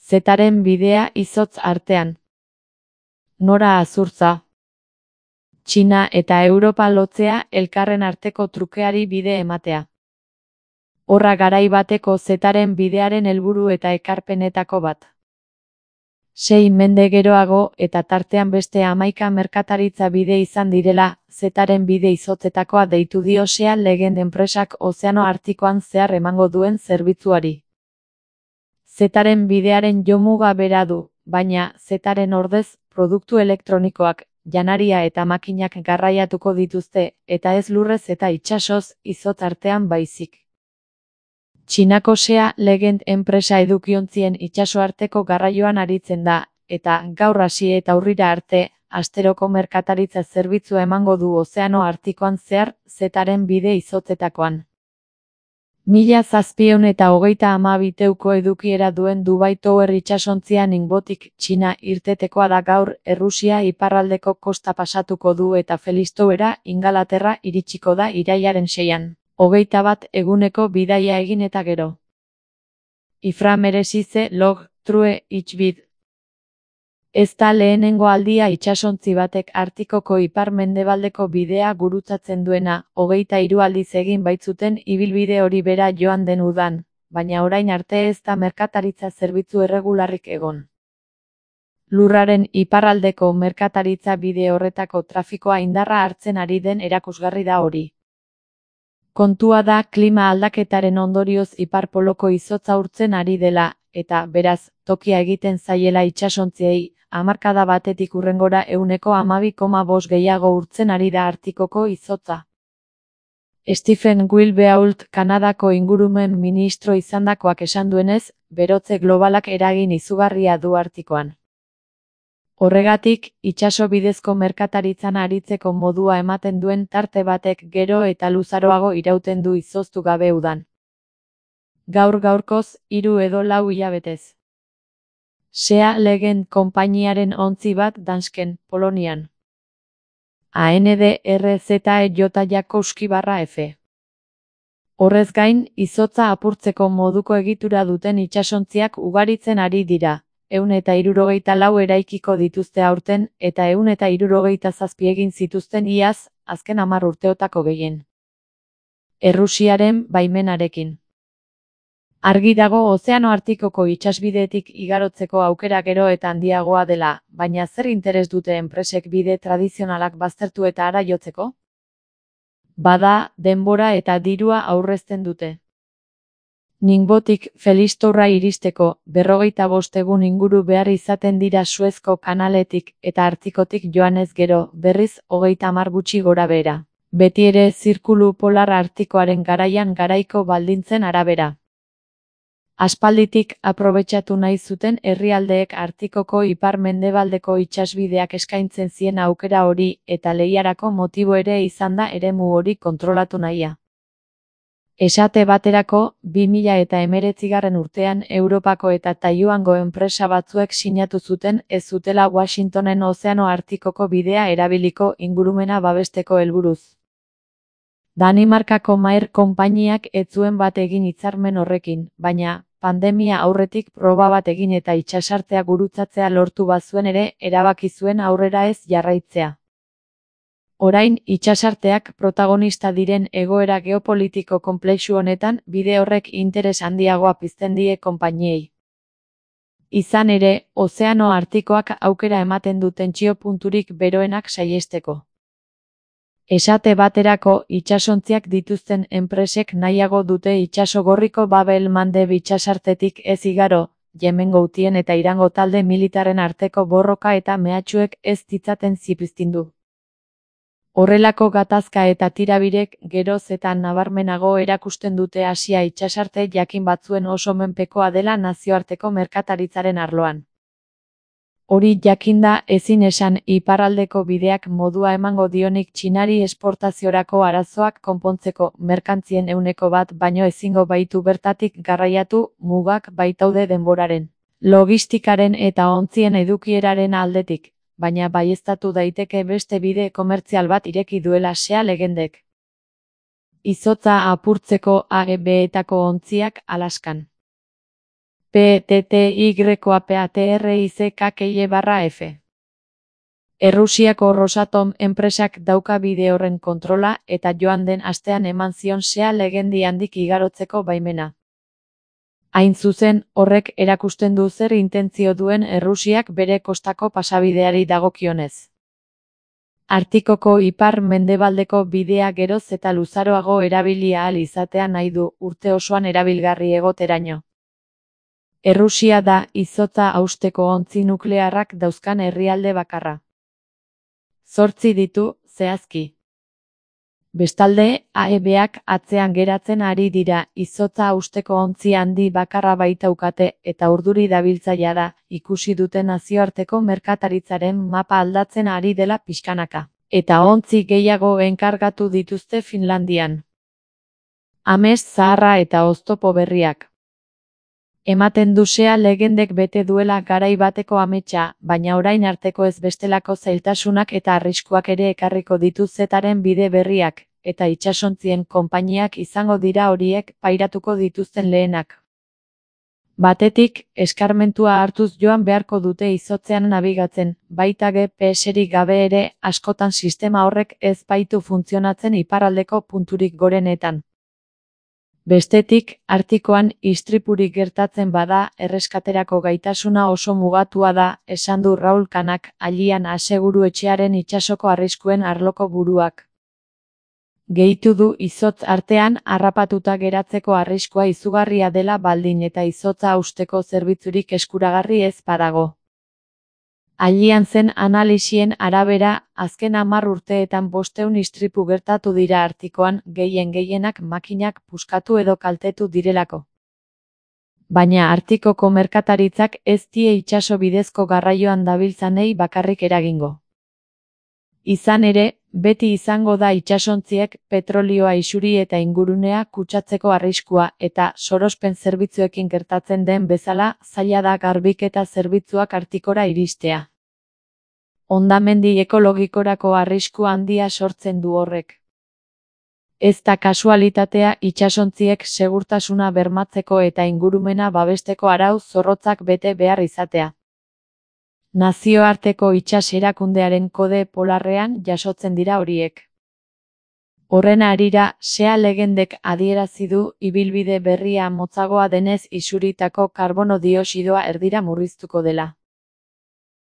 Zetaren bidea izotz artean. Nora Azurtza. Txina eta Europa lotzea elkarren arteko trukeari bide ematea. Horra garai bateko Zetaren bidearen helburu eta ekarpenetako bat. 6 mende geroago eta tartean beste 11 merkataritza bide izan direla, Zetaren bide izotzetakoa deitu dio Sea Legend enpresak Ozeano Artikoan zehar emango duen zerbitzuari. Zetaren bidearen jomuga bera du, baina Zetaren ordez, produktu elektronikoak, janaria eta makinak garraiatuko dituzte, eta ez lurrez eta itsasoz, izotz artean baizik. Txinako Sea Legend enpresa edukiontzien itsasoarteko garraioan aritzen da, eta gaur hasi eta urrira arte, asteroko merkataritza zerbitzua emango du Ozeano Artikoan zehar, Zetaren bide izotzetakoan. 1732 teuko edukiera duen Dubai Tower itsasontzia Ningbotik Txina irtetekoa da gaur, Errusia iparraldeko kosta pasatuko du eta Felistowera, Ingalaterra iritsiko da irailaren 6an. 21 eguneko bidaia egin eta gero. Ifra meresize log, true, itxbid. Ez da lehenengo aldia itsasontzi batek Artikoko ipar-mendebaldeko bidea gurutzatzen duena, 23 aldiz egin baitzuten ibilbide hori bera joan den udan, baina orain arte ez da merkataritza zerbitzu erregularrik egon. Lurraren iparraldeko merkataritza bide horretako trafikoa indarra hartzen ari den erakusgarri da hori. Kontua da klima aldaketaren ondorioz ipar-poloko izotza urtzen ari dela, eta, beraz, tokia egiten zaiela itsasontziei, hamarkada batetik hurrengora 12,5 gehiago urtzen ari da Artikoko izotza. Stephen Wilbeault Kanadako ingurumen ministro izandakoak esan duenez, berotze globalak eragin izugarria du Artikoan. Horregatik, itsaso bidezko merkataritzan aritzeko modua ematen duen tarte batek gero eta luzaroago irauten du izoztu gabe udan. Gaur-gaurkoz, 3 edo 4 hilabetez. Sea Legend konpainiaren ontzi bat Dansken, Polonian. ANDRZEJ-F. Horrez gain, izotza apurtzeko moduko egitura duten itsasontziak ugaritzen ari dira. 164 eraikiko dituzte aurten, eta 167 egin zituzten iaz, azken 10 urteotako gehien. Errusiaren baimenarekin. Argi dago Ozeano Artikoko itsasbidetik igarotzeko aukera gero eta handiagoa dela, baina zer interes dute enpresek bide tradizionalak baztertu eta hara jotzeko? Bada, denbora eta dirua aurrezten dute. Ningbotik Felistowra iristeko, 45 egun inguru behar izaten dira Suezko kanaletik eta Artikotik joanez gero, berriz 30 gutxi gora behera. Beti ere zirkulu polar Artikoaren garaian garaiko baldintzen arabera. Aspalditik aprobetxatu nahi zuten herrialdeek Artikoko ipar-mendebaldeko itsasbideak eskaintzen zien aukera hori eta lehiarako motibo ere izan da eremu hori kontrolatu nahia. Esate baterako, 2019 urtean Europako eta Taiwango enpresa batzuek sinatu zuten ez zutela Washingtonen Ozeano Artikoko bidea erabiliko ingurumena babesteko helburuz. Danimarkako Maer konpainiak ez zuen bat egin hitzarmen horrekin, baina, pandemia aurretik proba bat egin eta itsasartea gurutzatzea lortu bazuen ere, erabaki zuen aurrera ez jarraitzea. Orain, itsasarteak protagonista diren egoera geopolitiko konplexu honetan, bide horrek interes handiagoa pizten die konpainiei. Izan ere, Ozeano Artikoak aukera ematen du tentsio punturik beroenak saihesteko. Esate baterako, itsasontziak dituzten enpresek nahiago dute itsaso gorriko Babel Mandeb itsasartetik ez igaro, Yemengo Hutien eta Irango talde militarren arteko borroka eta mehatxuek ez ditzaten zipiztindu. Horrelako gatazka eta tirabirek geroz eta nabarmenago erakusten dute Asia itsasarte jakin batzuen oso menpekoa dela nazioarteko merkataritzaren arloan. Hori jakinda ezin esan iparraldeko bideak modua emango dionik Txinari esportaziorako arazoak konpontzeko merkantzien 1% baino ezingo baitu bertatik garraiatu, mugak baitaude denboraren, logistikaren eta ontzien edukieraren aldetik. Baina baieztatu daiteke beste bide komertzial bat ireki duela Sea Legendek. Izotza apurtzeko AEB-etako ontziak Alaskan. PTTYAPATRIZKKY/F. Errusiako Rosatom enpresak dauka bide horren kontrola eta joan den astean eman zion SEA legendi handik igarotzeko baimena. Hain zuzen, horrek erakusten du zer intentzio duen Errusiak bere kostako pasabideari dagokionez. Artikoko ipar-mendebaldeko bidea geroz eta luzaroago erabili ahal izatea nahi du, urte osoan erabilgarri egoteraino. Errusia da izotza hausteko ontzi nuklearrak dauzkan herrialde bakarra. 8 ditu, zehazki. Bestalde, AEBak atzean geratzen ari dira, izotza hausteko ontzi handi bakarra baitaukate eta urduri dabiltzaia da, ikusi dute nazioarteko merkataritzaren mapa aldatzen ari dela pixkanaka. Eta ontzi gehiago enkargatu dituzte Finlandian. Ames zaharra eta oztopo berriak. Ematen du SEA legendek bete duela garai bateko ametsa, baina orain arteko ez bestelako zailtasunak eta arriskuak ere ekarriko ditu zetaren bide berriak, eta itsasontzien konpainiak izango dira horiek pairatuko dituzten lehenak. Batetik, eskarmentua hartuz joan beharko dute izotzean nabigatzen, baita GPS-rik gabe ere, askotan sistema horrek ez baitu funtzionatzen iparraldeko punturik gorenetan. Bestetik, Artikoan istripurik gertatzen bada, erreskaterako gaitasuna oso mugatua da, esan du Raul Kanak, Allian Aseguru etxearen itsasoko arriskuen arloko buruak. Gehitu du izotz artean harrapatuta geratzeko arriskua izugarria dela baldin eta izotza hausteko zerbitzurik eskuragarri ez badago. Allian zen analisien arabera, azken 10 urteetan 500 istripu gertatu dira Artikoan, gehienak makinak puskatu edo kaltetu direlako. Baina Artikoko merkataritzak ez die itsaso bidezko garraioan dabiltzanei bakarrik eragingo. Izan ere, beti izango da itsasontziek petrolioa isuri eta ingurunea kutsatzeko arriskua eta sorospen zerbitzuekin gertatzen den bezala zaila da garbiketa zerbitzuak Artikora iristea. Hondamendi ekologikorako arrisku handia sortzen du horrek. Ez da kasualitatea itsasontziek segurtasuna bermatzeko eta ingurumena babesteko arau zorrotzak bete behar izatea. Nazioarteko itsas erakundearen kode polarrean jasotzen dira horiek. Horren harira, SEA legendek adierazi du ibilbide berria motzagoa denez isuritako karbono dioxidoa erdira murriztuko dela.